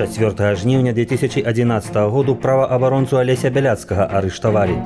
4 жніўня 2011 году праваабаронцу Алеся Бяляцкага арыштавалі.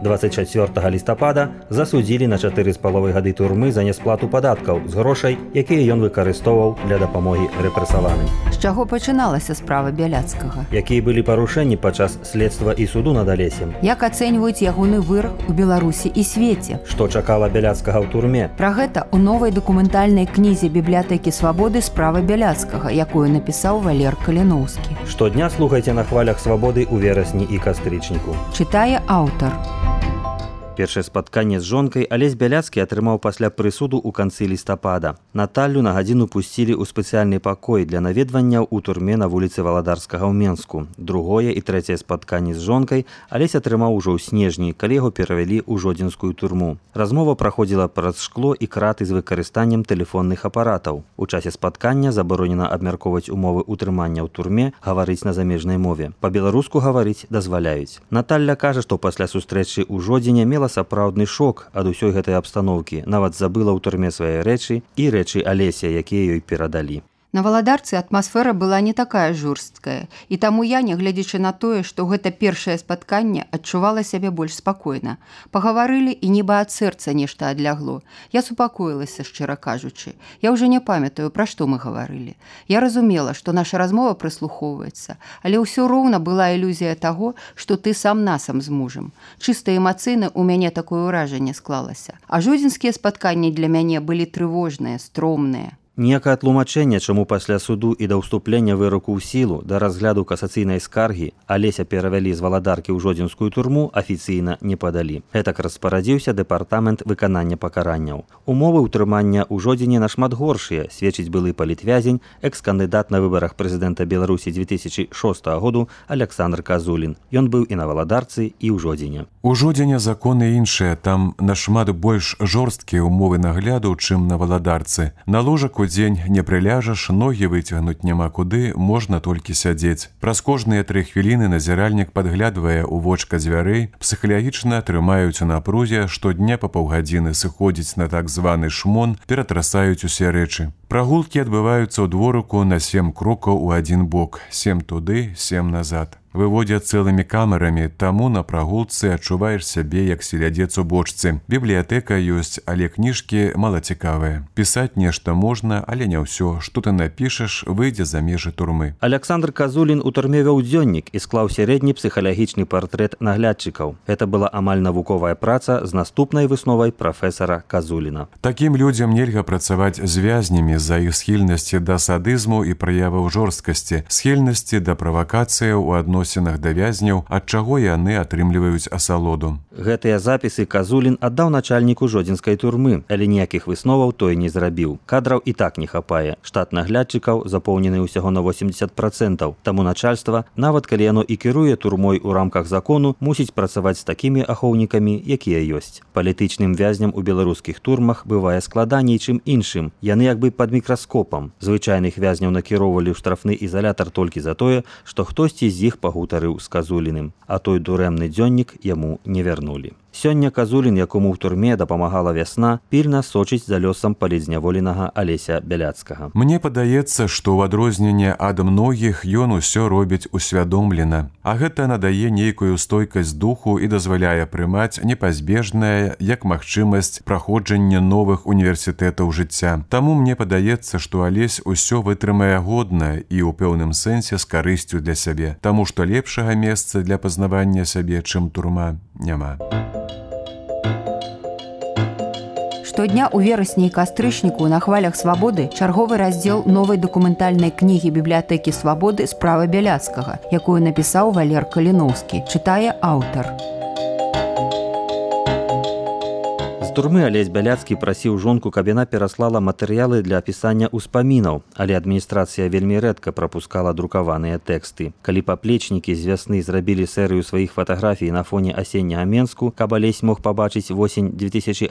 24 лістапада засудзілі на 4,5 гады турмы за несплату падаткаў з грошай, якія ён выкарыстоўваў для дапамогі рэпрэсаваным. З чаго пачыналася справа Бяляцкага? Якія былі парушэнні падчас следства і суду над Алесем? Як ацэньваюць ягоны вырак у Беларусі і свеце? Што чакала Бяляцкага ў турме? Пра гэта ў новай дакументальнай кнізе бібліятэкі свабоды справа Бяляцкага, якую напісаў Валер Каліноўскі. Штодня слухайце на хвалях свабоды ў верасні і кастрычніку. Чытае аўтар. Першае спатканне з жонкай Алесь Бяляцкі атрымаў пасля прысуду ў канцы лістапада. Наталлю на гадзіну пусцілі ў спецыяльны пакой для наведванняў у турме на вуліцы Валадарскага ў Менску. Другое і трэцяе спатканне з жонкай Алесь атрымаў ужо ў снежні, калі яго перавялі ў Жодзінскую турму. Размова праходзіла праз шкло і краты з выкарыстаннем тэлефонных апаратаў. У часе спаткання забаронена абмяркоўваць умовы ўтрымання ў турме, гаварыць на замежнай мове. Па-беларуску гаварыць дазваляюць. Наталля кажа, што пасля сустрэчы ў Жодзіне мела сапраўдны шок ад усёй гэтай абстаноўкі, нават забыла ў турме свае рэчы і рэчы Алеся, якія ёй перадалі. На Валадарцы атмасфера была не такая жорсткая, і таму я, нягледзячы на тое, што гэта першае спатканне, адчувала сябе больш спакойна. Пагаварылі і нібы ад сэрца нешта адлягло. Я супакоілася, шчыра кажучы. Я ўжо не памятаю, пра што мы гаварылі. Я разумела, што наша размова прыслухоўваецца, але ўсё роўна была ілюзія таго, што ты сам насам з мужам. Чыста эмацыйна ў мяне такое ўражанне склалася. А жодзінскія спатканні для мяне былі трывожныя, стромныя. Ніякае тлумачэнне, чаму пасля суду і да ўступлення выроку ў сілу, да разгляду касацыйнай скаргі Алеся перавялі з Валадаркі ў Жодзінскую турму, афіцыйна не падалі. Гэтак распарадзіўся дэпартамент выканання пакаранняў. Умовы ўтрымання ў Жодзіне нашмат горшыя, сведчыць былы палітвязень, экс-кандыдат на выбарах прэзідэнта Беларусі 2006 году Александр Казулін. Ён быў і на Валадарцы, і ў Жодзіне. У Жодзіне законы іншыя, там нашмат больш жорсткія умовы нагляду, чым на Валадарцы. На ложак у дзень не прыляжаш, ногі выцягнуць няма куды, можна толькі сядзець. Праз кожныя 3 хвіліны назіральнік падглядвае ў вочка дзвярэй, псіхалагічна трымаюць у напрузе, штодня па паўгадзіны сыходзіць на так званы шмон, ператрасаюць усе рэчы. Прагулкі адбываюцца ў дворыку на 7 крокаў у адзін бок, 7 туды, 7 назад. Выводзяць цэлымі камерамі, таму на прагулцы адчуваеш сябе як селядзец у бочцы. Бібліятэка ёсць, але кніжкі малацікавыя. Пісаць нешта можна, але не ўсё. Што ты напішаш, выйдзе за межы турмы. Александр Казулін у турме вёў дзённік і склаў сярэдні псіхалагічны партрэт наглядчыкаў. Гэта была амаль навуковая праца з наступнай высновай прафесара Казуліна. Такім людзям нельга працаваць з вязнямі з-за іх схільнасці да садызму і праяваў жорсткасці, схільнасці да правакацыяў у адносінах да вязняў, ад чаго яны атрымліваюць асалоду. Гэтыя запісы Казулін аддаў начальніку Жодзінскай турмы, але ніякіх высноваў той не зрабіў. Кадраў і так не хапае. Штат наглядчыкаў запоўнены ўсяго на 80%. Таму начальства, нават калі яно і кіруе турмой у рамках закону, мусіць працаваць з такімі ахоўнікамі, якія ёсць. Палітычным вязням у беларускіх турмах бывае складаней, чым іншым. Яны як бы пад мікраскопам. Звычайных вязняў накіроўвалі ў штрафны ізалятар толькі за тое, што хтосьці з іх пагутарыў з Казуліным, а той дурэмны дзённік яму не вярнулі. Сёння Казулін, якому ў турме дапамагала вясна, пільна сочыць за лёсам палітзняволенага Алеся Бяляцкага. Мне падаецца, што ў адрозненне ад многіх ён усё робіць усвядомлена, а гэта надае нейкую стойкасць духу і дазваляе прымаць непазбежнае як магчымасць праходжання новых універсітэтаў жыцця. Таму мне падаецца, што Алесь усё вытрымае годна і ў пэўным сэнсе з карысцю для сябе, таму што лепшага месца для пазнавання сябе, чым турма, няма. Штодня ў верасні і кастрычніку на хвалях свабоды чарговы раздзел новай дакументальнай кнігі бібліятэкі свабоды справа Бяляцкага, якую напісаў Валер Каліноўскі. Чытае аўтар. Турмы Алесь Бяляцкі прасіў жонку, каб яна пераслала матэрыялы для апісання ўспамінаў, але адміністрацыя вельмі рэдка прапускала друкаваныя тэксты. Калі паплечнікі з вясны зрабілі серыю сваіх фатаграфій на фоне асенняга Менску, каб Алесь мог пабачыць восень 2011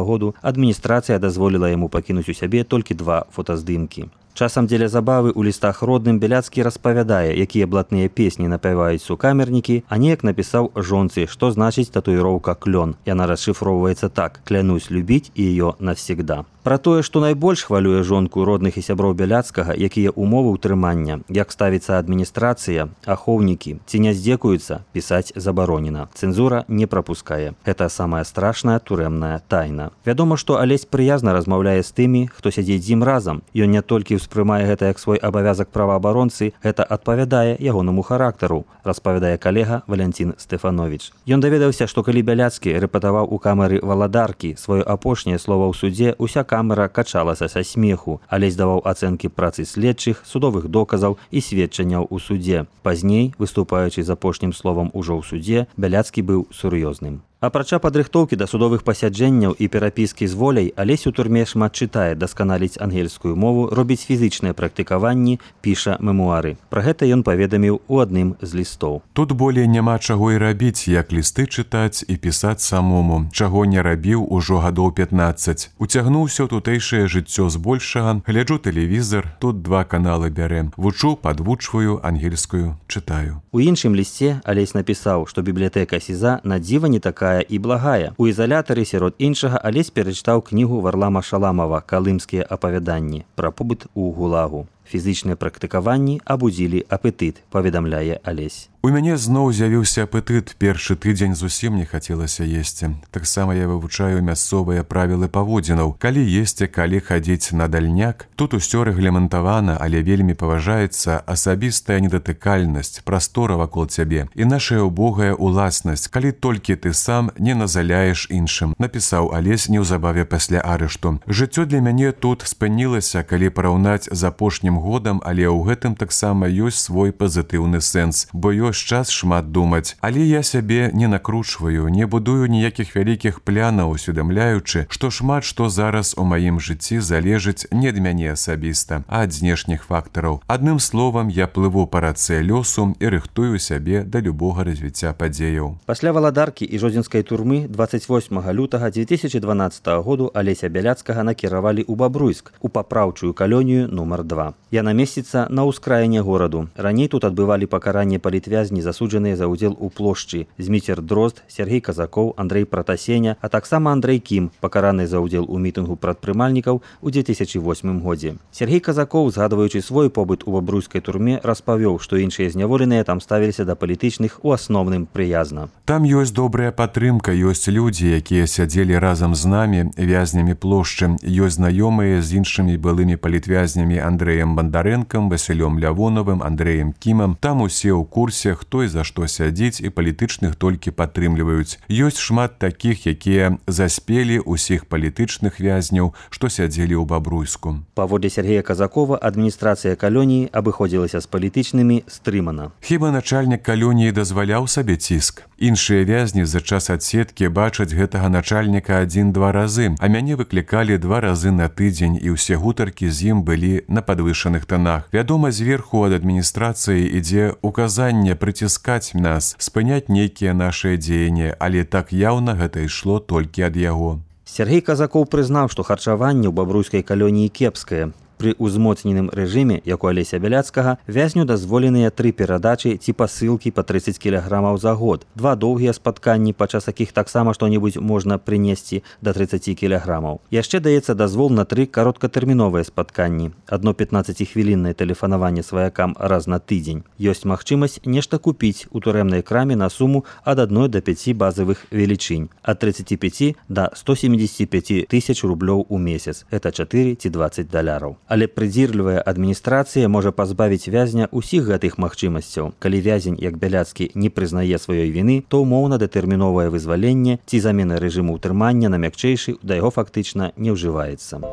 году, адміністрацыя дазволіла яму пакінуць у сябе толькі 2 фотаздымкі. Часам дзеля забавы ў лістах родным Бяляцкі распавядае, якія блатныя песні напяваюць сукамернікі, а неяк напісаў жонцы, што значыць татуіроўка «клён». Яна расшыфроўваецца так: «Клянусь любіць ее навсегда». Пра тое, што найбольш хвалюе жонку родных і сяброў Бяляцкага, якія ўмовы ўтрымання, як ставіцца адміністрацыя, ахоўнікі, ці не здзекуюцца, пісаць забаронена. Цэнзура не прапускае. Гэта самая страшная турэмная тайна. Вядома, што Алесь прыязна размаўляе з тымі, хто сядзіць з ім разам. Ён не толькі ўспрымае гэта як свой абавязак праваабаронцы, гэта адпавядае ягонаму характару, распавядае калега Валянцін Стэфановіч. Ён даведаўся, што калі Бяляцкі рэпетаваў у камеры Валадаркі сваё апошняе слова ў судзе, уся камера качалася са смеху. Алесь даваў ацэнкі працы следчых, судовых доказаў і сведчанняў у судзе. Пазней, выступаючы з апошнім словам ужо ў судзе, Бяляцкі быў сур'ёзным. Апрача падрыхтоўкі да судовых пасяджэнняў і перапіскі з воляй, Алесь у турме шмат чытае, дасканаліць ангельскую мову, робіць фізычныя практыкаванні, піша мемуары. Пра гэта ён паведаміў у адным з лістоў. Тут болей няма чаго і рабіць, як лісты чытаць і пісаць самому, чаго не рабіў ужо гадоў 15. Уцягнуўся ў тутэйшае жыццё збольшага, гляджу тэлевізар, тут 2 каналы бярэ. Вучу, падвучваю, ангельскую чытаю. У іншым лісце Алесь напісаў, што бібліятэка СІЗА на дзіва не такая і благая. У ізалятары сярод іншага Алесь перачытаў кнігу Варлама Шаламова «Калымскія апавяданні» пра побыт у ГУЛАГу. Фізычныя практыкаванні абудзілі апетыт, паведамляе Алесь. У мяне зноў з'явіўся апетыт, першы тыдзень зусім не хацелася есці. Таксама я вывучаю мясцовыя правілы паводзінаў. Калі есці, калі хадзіць на дальняк, тут усё рэгламентавана, але вельмі паважаецца асабістая недатыкальнасць, прастора вакол цябе і нашая убогая уласнасць, калі толькі ты сам не назаляеш іншым, напісаў Алесь неўзабаве пасля арышту. Жыццё для мяне тут спынілася, калі параўнаць з апошнім годам, але ў гэтым таксама ёсць свой пазітыўны сэнс, бо ёсць час шмат думаць. Але я сябе не накручваю, не будую ніякіх вялікіх планаў, усведамляючы, што шмат што зараз у маім жыцці залежыць не ад мяне асабіста, а ад знешніх фактараў. Адным словам, я плыву па рацэ лёсу і рыхтую сябе да любога развіцця падзеяў. Пасля Валадаркі і жодзінскай турмы 28 лютага 2012 году Алеся Бяляцкага накіравалі ў Бабруйск, у папраўчую калонію нумар 2. Яна месціцца на ўскраіне гораду. Раней тут адбывалі пакаранне палітвязні, засуджаныя за ўдзел у плошчы: Зміцер Дрозд, Сергей Казакоў, Андрэй Пратасеня, а таксама Андрэй Кім, пакараны за ўдзел у мітынгу прадпрымальнікаў у 2008 годзе. Сергей Казакоў, згадваючы свой побыт у бабруйскай турме, распавёў, што іншыя зняволеныя там ставіліся да палітычных у асноўным прыязна. Там ёсць добрая падтрымка, ёсць людзі, якія сядзелі разам з намі, вязнямі плошчы, ёсць знаёмыя з іншымі былымі палітвязнямі Андрэем Бандарэнкам, Васілём Лявонавым, Андрэем Кімам. Там усе ў курсе, хто і за што сядзіць, і палітычных толькі падтрымліваюць. Ёсць шмат такіх, якія заспелі ўсіх палітычных вязняў, што сядзелі ў Бабруйску. Паводле Сергея Казакова, адміністрацыя калоніі абыходзілася з палітычнымі стрымана. Хіба начальнік калоніі дазваляў сабе ціск? Іншыя вязні за час адседкі бачаць гэтага начальніка 1-2 разы, а мяне выклікалі 2 разы на тыдзень, і ўсе гутаркі з ім былі на падвышаных тонах. Вядома, зверху ад адміністрацыі ідзе указанне прыціскаць нас, спыняць нейкія нашыя дзеянні, але так яўна гэта ішло толькі ад яго. Сергей Казакоў прызнаў, што харчаванне ў бабруйскай калоніі кепскае. Пры ўзмоцненым рэжыме, як у Алеся Бяляцкага, вязню дазволеныя 3 перадачы ці пасылкі па 30 кілаграмаў за год, 2 доўгія спатканні, падчас якіх таксама што-небудзь можна прынесці да 30 кілаграмаў. Яшчэ даецца дазвол на 3 кароткатэрміновыя спатканні, адно 15-хвіліннае тэлефанаванне сваякам раз на тыдзень. Ёсць магчымасць нешта купіць у турэмнай краме на суму ад 1 до 5 базавых велічынь, ад 35 до 175 тысяч рублёў у месяц, гэта 4 ці 20 даляраў. Але прыдзірлівая адміністрацыя можа пазбавіць вязня ўсіх гэтых магчымасцяў. Калі вязень, як Бяляцкі, не прызнае сваёй віны, то умоўна-датэрміновае вызваленне ці замена рэжыму ўтрымання на мякчэйшы да яго фактычна не ўжываецца.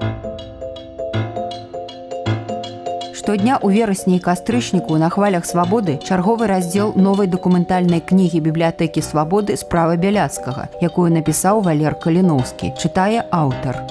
Штодня ў верасні і кастрычніку на хвалях свабоды чарговы раздзел новай дакументальнай кнігі бібліятэкі свабоды «Справа Бяляцкага», якую напісаў Валер Каліноўскі, чытае аўтар.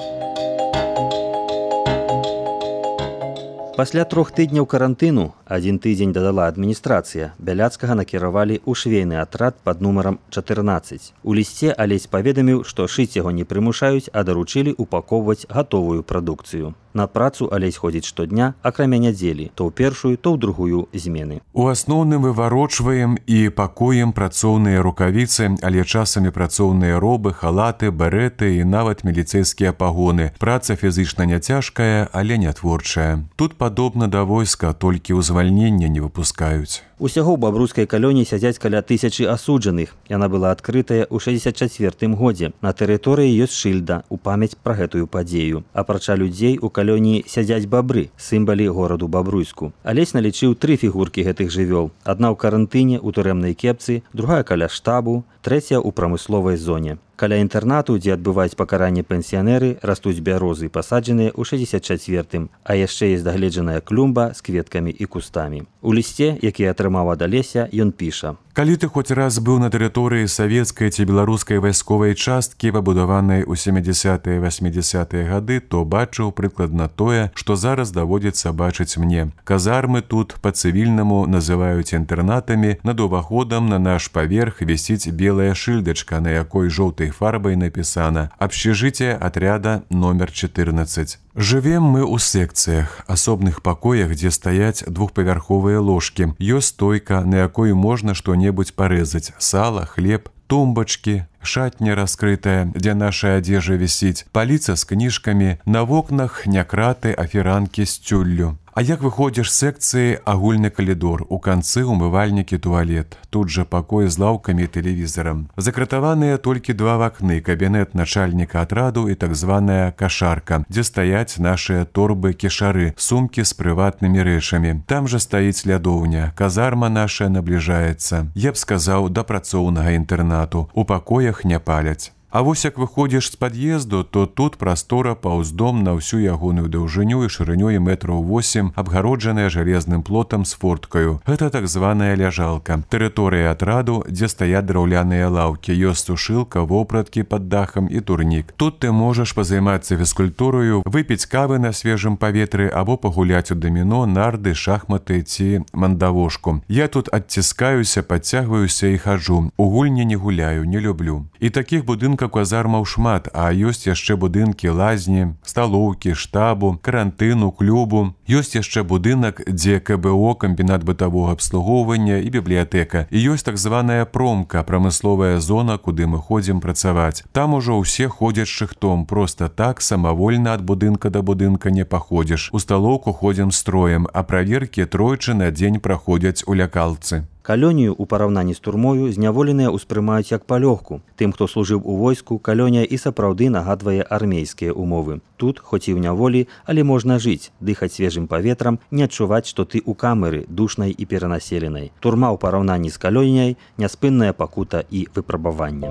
Пасля 3 тыдняў карантыну Адзін тыдзень дадала адміністрацыя. Бяляцкага накіравалі ў швейны атрад пад нумарам 14. У лісце Алесь паведаміў, што шыць яго не прымушаюць, а даручылі упаковваць гатовую прадукцыю. На працу Алесь ходзіць штодня, акрамя нядзелі, то ў першую, то ў другую змены. У асноўным выварочваем і пакуем працоўныя рукавіцы, але часамі працоўныя робы, халаты, береты і нават міліцэйскія пагоны. Праца фізычна няцяжкая, але не творчая. Тут падобна да войска, толькі ў звальнення не выпускаюць. Усяго ў бабруйскай калоніі сядзяць каля 1000 асуджаных. Яна была адкрытая ў 64 годзе. На тэрыторыі ёсць шыльда ў памяць пра гэтую падзею. Апрача людзей у калоніі сядзяць бабры, сімвалі гораду Бабруйску. Алесь налічыў 3 фігуркі гэтых жывёл. Адна ў карантыне, у турэмнай кепцы, другая каля штабу, трэцяя ў прамысловай зоне. Каля інтэрнату, дзе адбываюць пакаранне пенсіянеры, растуць бярозы, пасаджаныя ў 64-м, а яшчэ ёсць дагледжаная клумба з кветкамі і кустамі. У лісце, які атрымаў ад Алеся, ён піша: «Калі ты хоць раз быў на тэрыторыі савецкай ці беларускай вайсковай часткі, пабудаванай у 70-е 80-е гады, то бачыў прыкладна тое, што зараз даводзіцца бачыць мне. Казармы тут па-цывільнаму называюць інтэрнатамі, над уваходам на наш паверх вісіць белая шыльдачка, на якой жоўтай фарбай напісана «Общежитие отряда номер 14». Жывем мы ў секцыях, асобных пакоях, дзе стаяць двухпавярховыя ложкі. Ёсць стойка, на якой можна што-небудзь парэзаць: сала, хлеб, тумбачкі, шатня раскрытая, дзе наша адзежа вісіць, паліца з кніжкамі, на вокнах някраты, а фіранкі з цюллю. А як выходзіш з секцыі, агульны калідор, у канцы умывальнікі, туалет. Тут жа пакой з лаўкамі і тэлевізарам. Закратаваныя толькі 2 вакны, кабінет начальніка атраду і так званая кашарка, дзе стаяць нашыя торбы, кішары, сумкі з прыватнымі рэчамі. Там жа стаіць лядоўня, казарма наша набліжаецца. Я б сказаў, да працоўнага інтэрнату. У пакоях не паляць. А вось як выходзіш з пад'езду, то тут прастора паўз дом на ўсю ягоную даўжыню і шырынёй метраў 8, абгароджаная жалезным плотам з форткаю. Гэта так званая ляжалка. Тэрыторыя атраду, дзе стаяць драўляныя лаўкі, ёсць сушылка, вопраткі пад дахам і турнік. Тут ты можаш пазаймацца фізкультураю, выпіць кавы на свежым паветры або пагуляць у даміно, нарды, шахматы ці мандавошку. Я тут адціскаюся, падцягваюся і хаджу. У гульні не гуляю, не люблю. І такіх будынкаў казармаў шмат, а ёсць яшчэ будынкі лазні, сталоўкі, штабу, карантыну, клубу. Ёсць яшчэ будынак, дзе КБО, камбінат бытавога абслугоўвання і бібліятэка. І ёсць так званая промка, прамысловая зона, куды мы ходзім працаваць. Там ужо ўсе ходзяць шыхтом, проста так, самавольна ад будынка да будынка не паходзіш. У сталоўку ходзім строем, а праверкі тройчы на дзень праходзяць у лякалцы. Калонію ў параўнанні з турмою зняволеныя ўспрымаюць як палёгку. Тым, хто служыў у войску, калонія і сапраўды нагадвае армейскія умовы. Тут, хоць і ў няволі, але можна жыць, дыхаць свежым паветрам, не адчуваць, што ты ў камеры, душнай і перанаселенай. Турма ў параўнанні з калоніяй – няспынная пакута і выпрабаванне.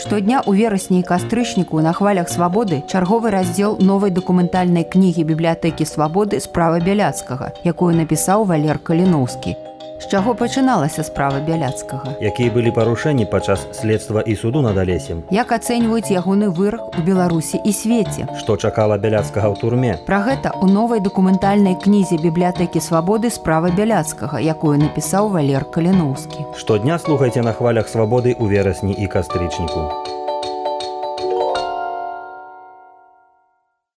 Штодня ў верасні і кастрычніку на хвалях свабоды чарговы раздзел новай дакументальнай кнігі бібліятэкі свабоды «Справа Бяляцкага», якую напісаў Валер Каліноўскі. З чаго пачыналася справа Бяляцкага? Якія былі парушэнні падчас следства і суду над Алесем? Як ацэньваюць ягоны вырак у Беларусі і свеце? Што чакала Бяляцкага ў турме? Пра гэта ў новай дакументальнай кнізе бібліятэкі свабоды «Справа Бяляцкага», якую напісаў Валер Каліноўскі. Штодня слухайце на хвалях свабоды ў верасні і кастрычніку.